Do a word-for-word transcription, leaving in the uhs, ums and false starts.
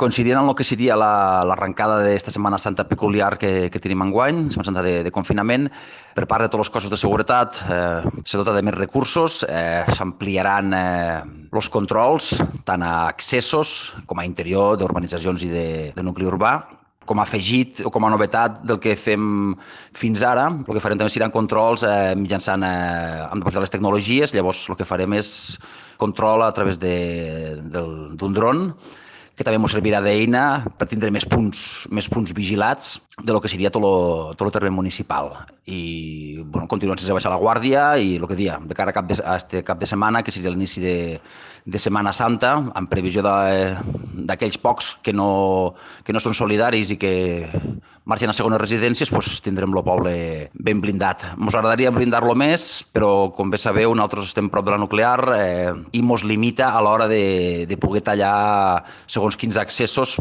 coincidint amb el que seria la- l'arrencada d'esta Setmana Santa peculiar que, que tenim enguany, Setmana Santa de, de confinament, per part de tots els cossos de seguretat eh, se dota de més recursos, eh, s'ampliaran eh, els controls tant a accessos com a interior d'urbanitzacions i de, de nucli urbà. Com a afegit o com a novetat del que fem fins ara, el que farem també seran controls eh, mitjançant eh, amb de les tecnologies, llavors el que farem és control a través de- del- d'un dron que també ens servirà d'eina per tindre més punts, més punts vigilats de lo que seria tot el, tot el terreny municipal. I bueno, continuem sense baixar la guàrdia i el que dia, de cara a, cap de, a este cap de setmana, que seria l'inici de, de Setmana Santa, en previsió de- d'aquells pocs que no, que no són solidaris i que marxen a segones residències, doncs tindrem el poble ben blindat. Ens agradaria blindar-lo més, però com bé sabeu, nosaltres estem prop de la nuclear eh, i ens limita a l'hora de, de poder tallar segons quins accessos